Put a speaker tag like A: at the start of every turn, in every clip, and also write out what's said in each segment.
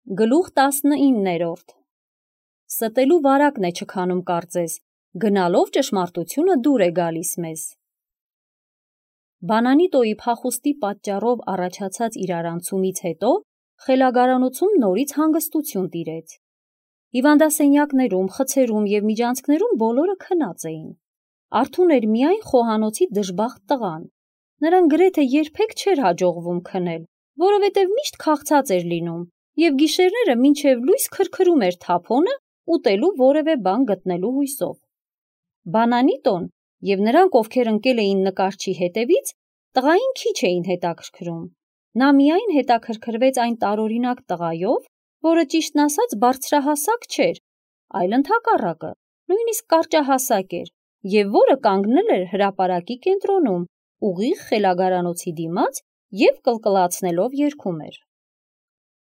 A: Գլուխ 19-րդ Ստելու վարակն է չքանում կարծես, գնալով ճշմարտությունը դուր է գալիս մեզ։ Բանանիտոյի փախուստի պատճառով առաջացած իրարանցումից հետո խելագարանոցում նորից հանգստություն տիրեց։ Հիվանդասենյակներում, խցերում և միջանցքներում բոլորը քնած էին։ Արթուն էր միայն խոհանոցի դժբախտ տղան։ Նրան գրեթե երբեք չէր հաջողվում քնել, որովհետև միշտ քաղցած էր լինում և գիշերները մինչև լույս քրքրում էր թափոնը ուտելու որևէ բան գտնելու հույսով։ Բանանիտոն և նրանք, ովքեր ընկել էին նկարչի հետևից, տղային քիչ էին հետաքրքրում։ Նա միայն հետաքրքրվեց այն տարօրինակ տղայով, որը ճիշտն ասած բարձրահասակ չէր, այլ ընդհակառակը, նույնիսկ կարճահասակ էր, և որը կանգնել էր հրապարակի կենտրոնում, ուղիղ խելագարանոցի դիմաց և կլկլացնելով երգում էր։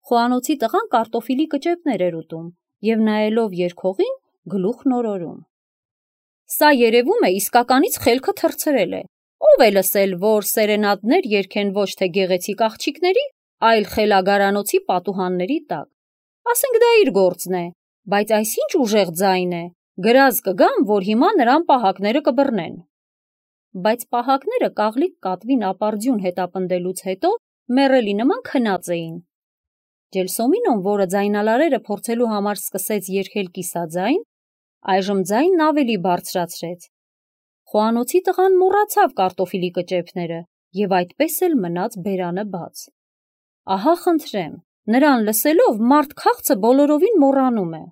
A: Խոհանոցի տղան կարտոֆիլի կճեպներ էր ուտում և նայելով երգողին գլուխն օրորում։ Սա երևում է իսկականից խելքը թռցրել է, ով է լսել, որ սերենադներ երգեն ոչ թե գեղեցիկ աղջիկների, այլ խելագարանոցի պատուհանների տակ։ Ասենք դա իր գործն է, բայց այս ինչ ուժեղ ձայն է, գրազ կգամ, որ հիմա նրան պահակները կբռնեն։ Բայց պահակները կաղլիկ կատվին ապարդյուն հետապնդելուց հետո մեռելի նման քնած էին։ Ջելսոմինոն, որը ձայնալարերը փորձելու համար սկսեց երգել կիսաձայն, այժմ ձայնն ավելի բարձրացրեց։ Խոհանոցի տղան մոռացավ կարտոֆիլի կճեպները և այդպես էլ մնաց բերանը բաց։ Ահա խնդրեմ, նրան լսելով մարդ քաղցը բոլորովին մոռանում է։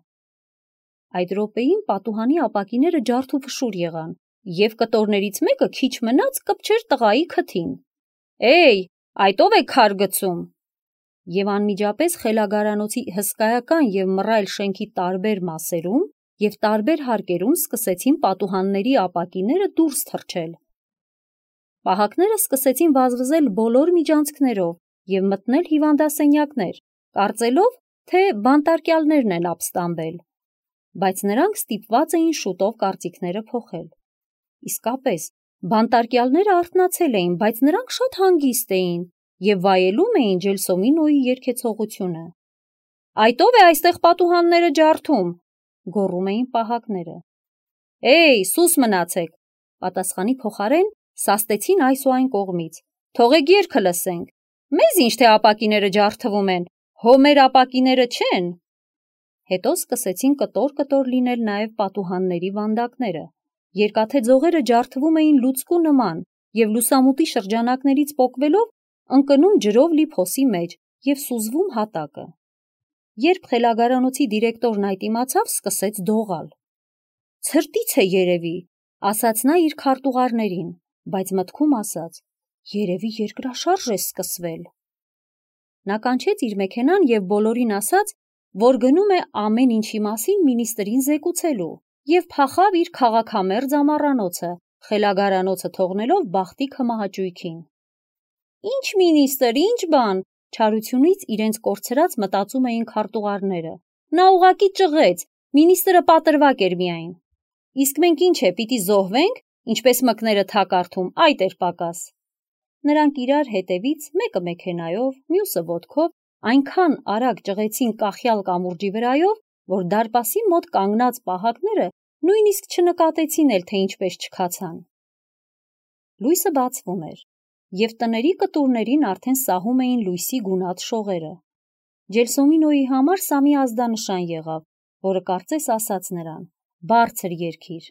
A: Այդ րոպեին պատուհանի ապակիները ջարդուփշուր եղան, և կտորներից մեկը քիչ մնաց կպչեր տղայի քթին։ Էյ, այդ ո՞վ է քար գցում։ Եվ անմիջապես խելագարանոցի հսկայական և մռայլ շենքի տարբեր մասերում և տարբեր հարկերում սկսեցին պատուհանների ապակիները դուրս թռչել։ Պահակները սկսեցին վազվզել բոլոր միջանցքներով և մտնել հիվանդասենյակներ, կարծելով, թե բանտարկյալներն են ապստամբել, բայց նրանք ստիպված էին շուտով կարծիքները փոխել։ Իսկապես, բանտարկյալները արթնացել էին, բայց նրանք շատ հանգիստ էին և վայելում էին Ջելսոմինոյի երգեցողությունը։ Այդ ո՞վ է այստեղ պատուհանները ջարդում, գոռում էին պահակները։ Էյ, սուս մնացեք, պատասխանի փոխարեն սաստեցին այս ու այն կողմից։ Թողեք երգը լսենք։ Մեզ ինչ թե ապակիները ջարդվում են, հո մեր ապակիները չեն։ Հետո սկսեցին կտոր-կտոր լինել նաև պատուհանների վանդակները։ Երկաթե ձողերը ջարդվում էին լուցկու նման և լուսամուտի շրջանակներից պոկվելով ընկնում ջրով լի փոսի մեջ և սուզվում հատակը։ Երբ խելագարանոցի դիրեկտորն այդ իմացավ, սկսեց դողալ։ Ցրտից է երևի, ասաց նա իր քարտուղարներին, բայց մտքում ասաց. երևի երկրաշարժ է սկսվել։ Նա կանչեց իր մեքենան և բոլորին ասաց, որ գնում է ամեն ինչի մասին մինիստրին զեկուցելու և փախավ իր քաղաքամերձ ամառանոցը, խելագարանոցը թողնելով բախտի քմահաճույքին։ Ինչ մինիստր, ինչ բան, չարությունից իրենց կորցրած մտածում էին քարտուղարները։ Նա ուղղակի ճղեց, մինիստրը պատրվակ էր միայն։ Իսկ մենք ինչ է, պիտի զոհվենք, ինչպես մկները թակարդում, այդ էր պակաս։ Նրանք իրար հետևից, մեկը մեքենայով, մյուսը ոտքով, այնքան արագ ճղեցին կախյալ կամուրջի վրայով, որ դարպասի մոտ կանգնած պահակները նույնիսկ չնկատեցին էլ, թե ինչպես չքացան։ Լույսը բացվում էր, և տների կտուրներին արդեն սահում էին լույսի գունատ շողերը։ Ջելսոմինոյի համար սա մի ազդանշան եղավ, որը կարծես ասաց նրան. բարձր երգիր։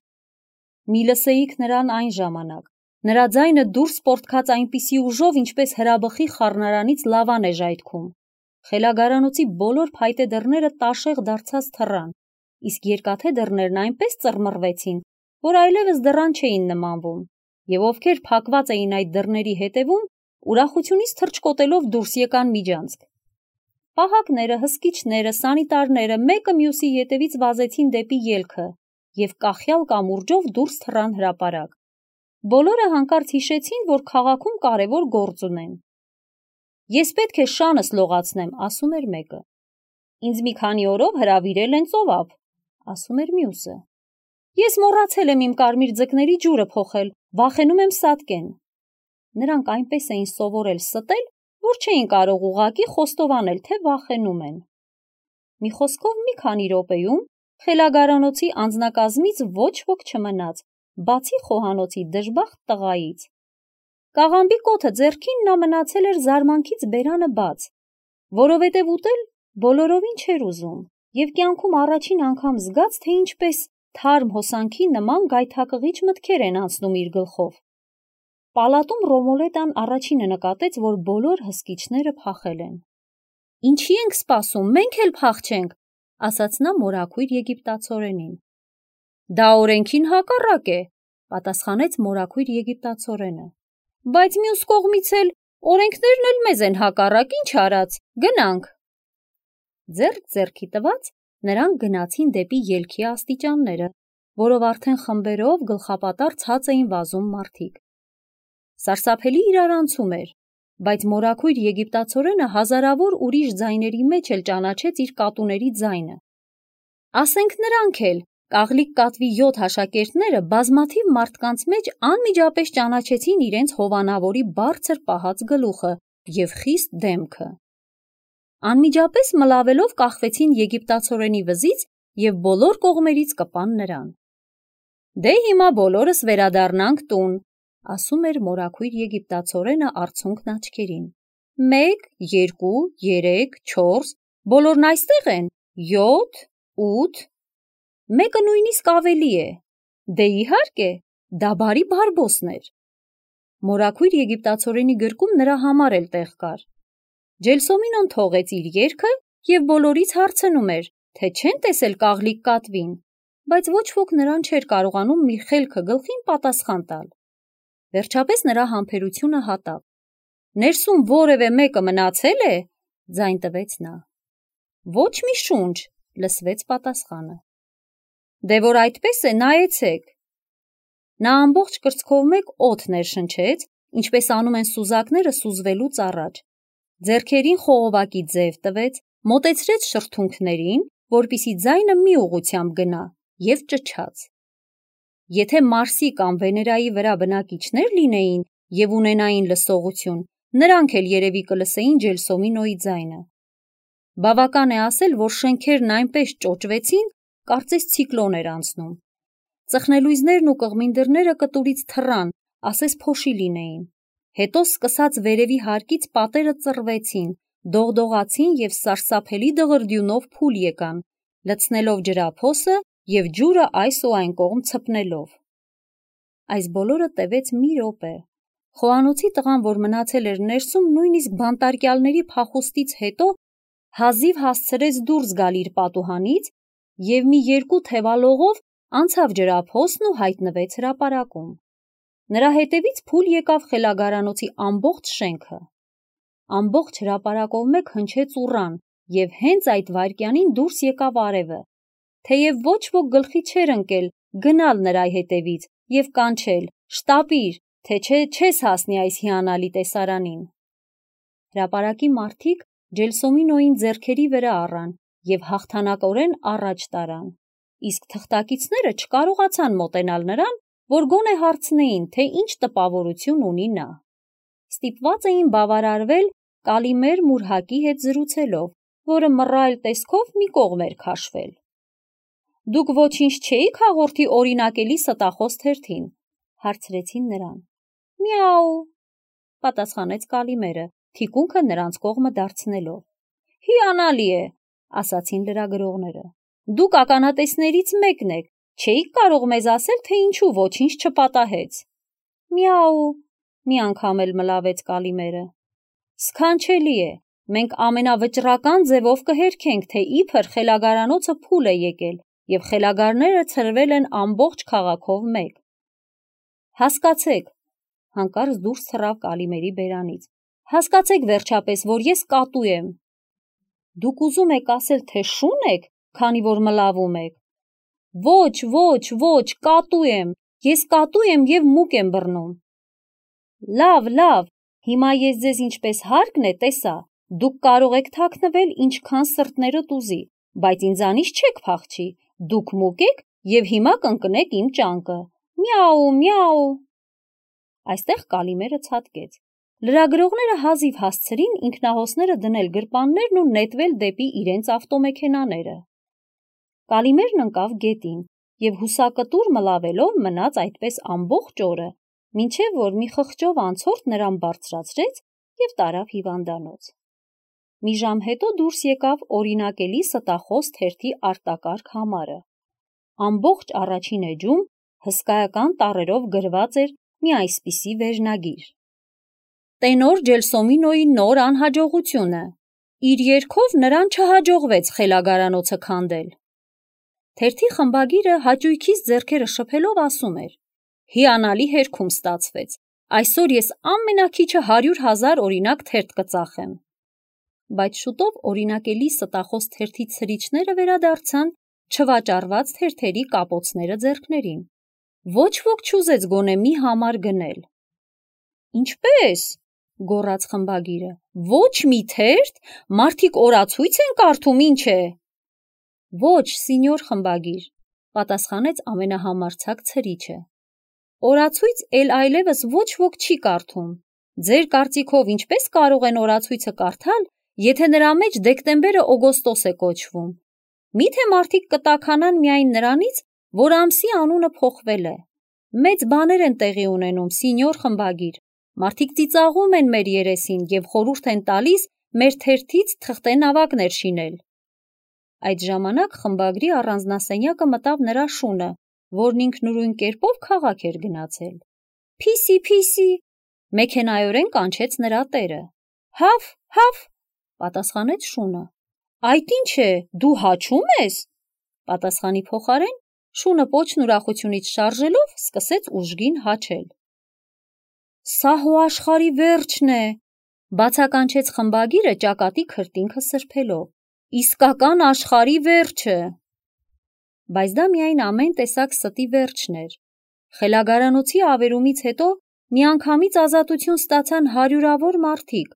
A: Մի լսեիք նրան այն ժամանակ։ Նրա ձայնը դուրս պոռթկաց այնպիսի ուժով, ինչպես հրաբխի խառնարանից լավան է ժայթքում։ Խելագարանոցի բոլոր փայտե դռները տաշեղ դարձած թռան, իսկ երկաթե դռներն այնպես ծռմռվեցին, որ այլևս դռան չէին նմանվում, և ովքեր փակված էին այդ դռների հետևում, ուրախությունից թռչկոտելով դուրս եկան միջանցք։ Պահակները, հսկիչները, սանիտարները մեկը մյուսի ետևից վազեցին դեպի ելքը և կախյալ կամուրջով դուրս թռան հրապարակ։ Բոլորը հանկարծ հիշեցին, որ քաղաքում կարևոր գործ ունեն։ Ես պետք է շանս լողացնեմ, ասում էր մեկը։ Ինձ մի քանի օրով հրավիրել են ծովափ, ասում էր մյուսը։ Ես մոռացել եմ իմ կարմիր ձկների ջուրը փոխել, վախենում եմ սատկեն։ Նրանք այնպես էին սովորել ստել, որ չէին կարող ուղղակի խոստովանել, թե վախենում են։ Մի խոսքով մի քանի րոպեում խելագարանոցի անձնակազմից ոչ ոք չմնաց, բացի խոհանոցի դժբախտ տղայից։ Կաղամբի կոթը ձեռքին նա մնացել էր զարմանքից բերանը բաց, որովհետև ուտել բոլորովին չէր ուզում, և կյանքում առաջին անգամ զգաց, թե ինչպես թարմ հոսանքի նման գայթակղիչ մտքեր են անցնում իր գլխով։ Պալատում Ռոմոլետան առաջինը նկատեց, որ բոլոր հսկիչները փախել են։ «Ինչի ենք սպասում, մենք էլ փախչենք», ասաց նա մորաքույր եգիպտացորենին։ «Դա օրենքին հակառակ է», պատասխանեց մորաքույր եգիպտացորենը։ «Բայց մյուս կողմից էլ օրենքներն էլ մեզ են հակառակ, ինչ արած, գնանք»։ Ձեռք ձեռքի տված նրանք գնացին դեպի ելքի աստիճանները, որով արդեն խմբերով գլխապատառ ցած էին վազում մարդիկ։ Սարսափելի իրարանցում էր, բայց մորաքույր եգիպտացորենը հազարավոր ուրիշ ձայների մեջ էլ ճանաչեց իր կատուների ձայնը։ Ասենք նրանք էլ, կաղլիկ կատվի 7 աշակերտները, բազմաթիվ մարդկանց մեջ անմիջապես ճանաչեցին իրենց հովանավորի բարձր պահած գլուխը և խիստ դեմքը։ Անմիջապես մլավելով կախվեցին եգիպտացորենի վզից և բոլոր կողմերից կպան նրան։ «Դե հիմա բոլորս վերադառնանք տուն», ասում էր մորաքույր եգիպտացորենը արցունքն աչքերին։ 1, 2, 3, 4, բոլորն այստեղ են, 7, 8, մեկը նույնիսկ ավելի է։ Դե իհարկե, դա բարի Բարբոսն էր։ Մորաքույր եգիպտացորենի գրկում նրա համար էլ տեղ կար։ Ջելսոմինոն թողեց իր երգը և բոլորից հարցնում էր, թե չեն տեսել կաղլիկ կատվին, բայց ոչ ոք նրան չէր կարողանում մի խելքը գլխին պատասխան տալ։ Վերջապես նրա համբերությունը հատավ։ «Ներսում որևէ մեկը մնացել է», ձայն տվեց նա։ «Ոչ մի շունչ», լսվեց պատասխանը։ «Դե որ այդպես է, նայեցեք»։ Նա ամբողջ կրծքով մեկ օդ ներշնչեց, ինչպես անում են սուզակները սուզվելուց առաջ, ձեռքերին խողովակի ձև տվեց, մոտեցրեց շրթունքներին, որպեսզի ձայնը մի ուղղությամբ գնա, և ճչաց։ Եթե Մարսի կամ Վեներայի վրա բնակիչներ լինեին և ունենային լսողություն, նրանք էլ երևի կլսեին Ջելսոմինոյի ձայնը։ Բավական է ասել, որ շենքերն այնպես ճոճվեցին, կարծես ցիկլոն էր անցնում։ Ծխնելույզներն ու կղմին դռները կտուրից թռան, ասես փոշի լինեին։ Հետո սկսած վերևի հարկից պատերը ծռվեցին, դողդողացին և սարսափելի դղրդյունով փուլ եկան, լցնելով ջրափոսը և ջուրը այս ու այն կողմ ցպնելով։ Այս բոլորը տևեց մի րոպե։ Խոհանոցի տղան, որ մնացել էր ներսում, նույնիսկ բանտարկյալների փախուստից հետո հազիվ հասցրեց դուրս գալ իր պատուհանից և մի 2 թևալողով անցավ ջրափոսն ու հայտնվեց հրապարակում։ Նրա հետևից փուլ եկավ խելագարանոցի ամբողջ շենքը։ Ամբողջ հրապարակով մեկ հնչեց ուռան, և հենց այդ վայրկյանին դուրս եկավ արևը, թեև ոչ ոք գլխի չէր ընկել գնալ նրա հետևից և կանչել. «Շտապիր, թե չէ չես հասնի այս հիանալի տեսարանին»։ Հրապարակի մարդիկ Ջելսոմինոյին ձեռքերի վրա առան և հաղթանակորեն առաջ տարան, իսկ թղթակիցները չկարողացան մոտենալ նրան, որ գոնե հարցնեին, թե ինչ տպավորություն ունի նա։ Ստիպված էին բավարարվել Կալիմեր Մուրհակի հետ զրուցելով, որը մռայլ տեսքով մի կողմ էր քաշվել։ «Դուք ոչինչ չէի՞ք հաղորդի օրինակելի ստախոս թերթին», հարցրեցին նրան։ «Միաու», պատասխանեց Կալիմերը, թիկունքը նրանց կողմը դարձնելով։ «Հիանալի է», ասացին լրագրողները։ «Դուք ականատեսներից մեկն եք, չէիք կարող մեզ ասել, թե ինչու ոչինչ չպատահեց»։ «Միաու», մի անգամ էլ մլավեց Կալիմերը։ «Սքանչելի է, մենք ամենավճռական ձևով կհերքենք, թե իբր խելագարանոցը փուլ է եկել և խելագարները ցրվել են ամբողջ քաղաքով մեկ»։ «Հասկացեք», հանկարծ դուրս թռավ Կալիմերի բերանից, «հասկացեք վերջապես, որ ես կատու եմ»։ «Դուք ուզում եք ասել, թե շուն եք, քանի որ մլավում եք»։ «Ոչ, ոչ, ոչ, կատու եմ, ես կատու եմ և մուկ եմ բռնում»։ «Լավ, լավ, հիմա ես ձեզ ինչպես հարկն է տեսա, դուք կարող եք թաքնվել ինչքան սրտներդ ուզի, բայց ինձանից չեք փախչի, դուք մուկ եք և հիմա կընկնեք իմ ճանկը։ Միաու, միաու»։ Այստեղ Կալիմերը ցատկեց։ Լրագրողները հազիվ հասցրին ինքնահոսները դնել գրպաններն ու նետվել դեպի իրենց ավտոմեքենաները։ Կալիմերն ընկավ գետին և հուսակտուր մլավելով մնաց այդպես ամբողջ օրը, մինչև որ մի խղճով անցորդ նրան բարձրացրեց և տարավ հիվանդանոց։ Մի ժամ հետո դուրս եկավ օրինակելի ստախոս թերթի արտակարգ համարը։ Ամբողջ առաջին էջում հսկայական տառերով գրված էր մի այսպիսի վերնագիր. Տենոր Ջելսոմինոյի նոր անհաջողությունը։ Իր երգով նրան չհաջողվեց խելագարանոցը քանդել։ Թերթի խմբագիրը հաճույքից ձեռքերը շփելով ասում էր. հիանալի հերքում ստացվեց, այսօր ես ամենաքիչը 100,000 օրինակ թերթ կծախեմ։ Բայց շուտով օրինակելի ստախոս թերթի ցրիչները վերադարձան չվաճառված թերթերի կապոցները ձեռքներին։ Ոչ ոք չուզեց գոնե մի համար գնել։ Ինչպե՞ս, գոռաց խմբագիրը, ոչ մի թերթ, մարդիկ օրացույց են կարդում, ինչ է։ Ոչ, սինյոր խմբագիր, պատասխանեց ամենահամարձակ ցրիչը։ Օրացույց այլևս ոչ ոք չի կարդում։ Ձեր կարծիքով ինչպես կարող են օրացույցը կարդալ, եթե նրա մեջ դեկտեմբերը օգոստոս է կոչվում։ Միթե մարդիկ կտաքանան միայն նրանից, որ ամսի անունը փոխվել է։ Մեծ բաներ են տեղի ունենում, սինյոր խմբագիր։ Մարդիկ ծիծաղում են մեր երեսին և խորհուրդ են տալիս մեր թերթից թղթենավակներ շինել։ Այդ ժամանակ խմբագրի առանձնասենյակը մտավ նրա շունը, որն ինքնուրույն կերպով քաղաք էր գնացել։ Փիսի, փիսի, մեքենայորեն կանչեց նրա տերը։ Հավ, հավ, պատասխանեց շունը։ Այդ ինչ է, դու հաչում ես։ Պատասխանի փոխարեն շունը պոչն ուրախությունից շարժելով սկսեց ուժգին հաչել։ Սա հո աշխարհի վերջն է, բացականչեց խմբագիրը ճակատի քրտինքը սրբելով։ Իսկական աշխարհի վերջը։ Բայց դա միայն ամեն տեսակ ստի վերջն էր։ Խելագարանոցի ավերումից հետո միանգամից ազատություն ստացան հարյուրավոր մարդիկ,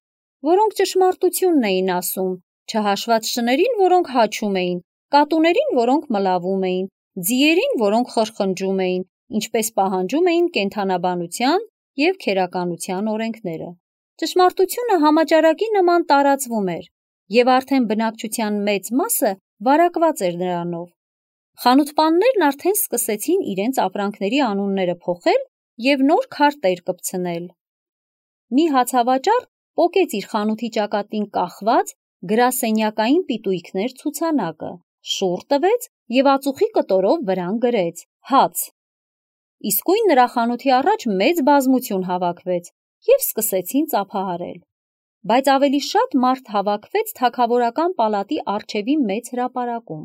A: որոնք ճշմարտությունն էին ասում, չհաշված շներին, որոնք հաչում էին, կատուներին, որոնք մլավում էին, ձիերին, որոնք խրխնջում էին, ինչպես պահանջում էին կենդանաբանության և քերականության օրենքները։ Ճշմարտությունը համաճարակի նման տարածվում էր, և արդեն բնակչության մեծ մասը վարակված էր նրանով։ Խանութպաններն արդեն սկսեցին իրենց ապրանքների անունները փոխել և նոր քարտեր կպցնել։ Մի հացավաճառ պոկեց իր խանութի ճակատին կախված գրասենյակային պիտույքներ ցուցանակը, շուռ տվեց և ածուխի կտորով վրան գրեց հաց։ Իսկույն նրա խանութի առաջ մեծ բազմություն հավաքվեց և սկսեցին ծափահարել։ Բայց ավելի շատ մարդ հավաքվեց թագավորական պալատի առջևի մեծ հրապարակում։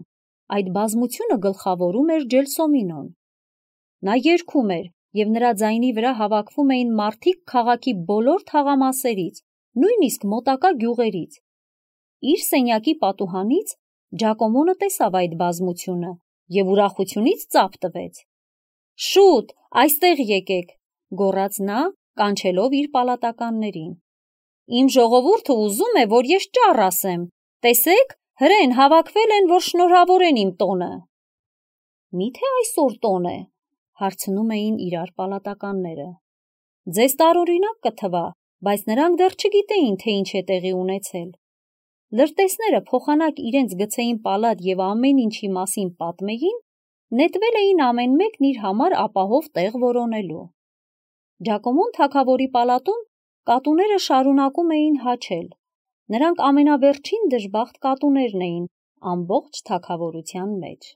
A: Այդ բազմությունը գլխավորում էր Ջելսոմինոն։ Նա երգում էր, և նրա ձայնի վրա հավաքվում էին մարդիկ քաղաքի բոլոր թաղամասերից, նույնիսկ մոտակա գյուղերից։ Իր սենյակի պատուհանից Ջակոմոնը տեսավ այդ բազմությունը և ուրախությունից ծափ տվեց։ Շուտ, այստեղ եկեք, գոռաց նա, կանչելով իր պալատականներին։ Իմ ժողովուրդը ուզում է, որ ես ճառ ասեմ։ Տեսեք, հրեն հավաքվել են, որ շնորհավորեն իմ տոնը։ Միթե այսօր տոն է, հարցնում էին իրար պալատականները։ Ձեզ տարօրինակ կթվա, բայց նրանք դեռ չգիտեին, թե ինչ է տեղի ունեցել։ Լրտեսները փոխանակ իրենց գցեին պալատ և ամեն ինչի մասին պատմեին, նետվել էին ամեն մեկն իր համար ապահով տեղ որոնելու։ Ջակոմոն թագավորի պալատում կատուները շարունակում էին հաչել։ Նրանք ամենավերջին դժբախտ կատուներն էին ամբողջ թագավորության մեջ։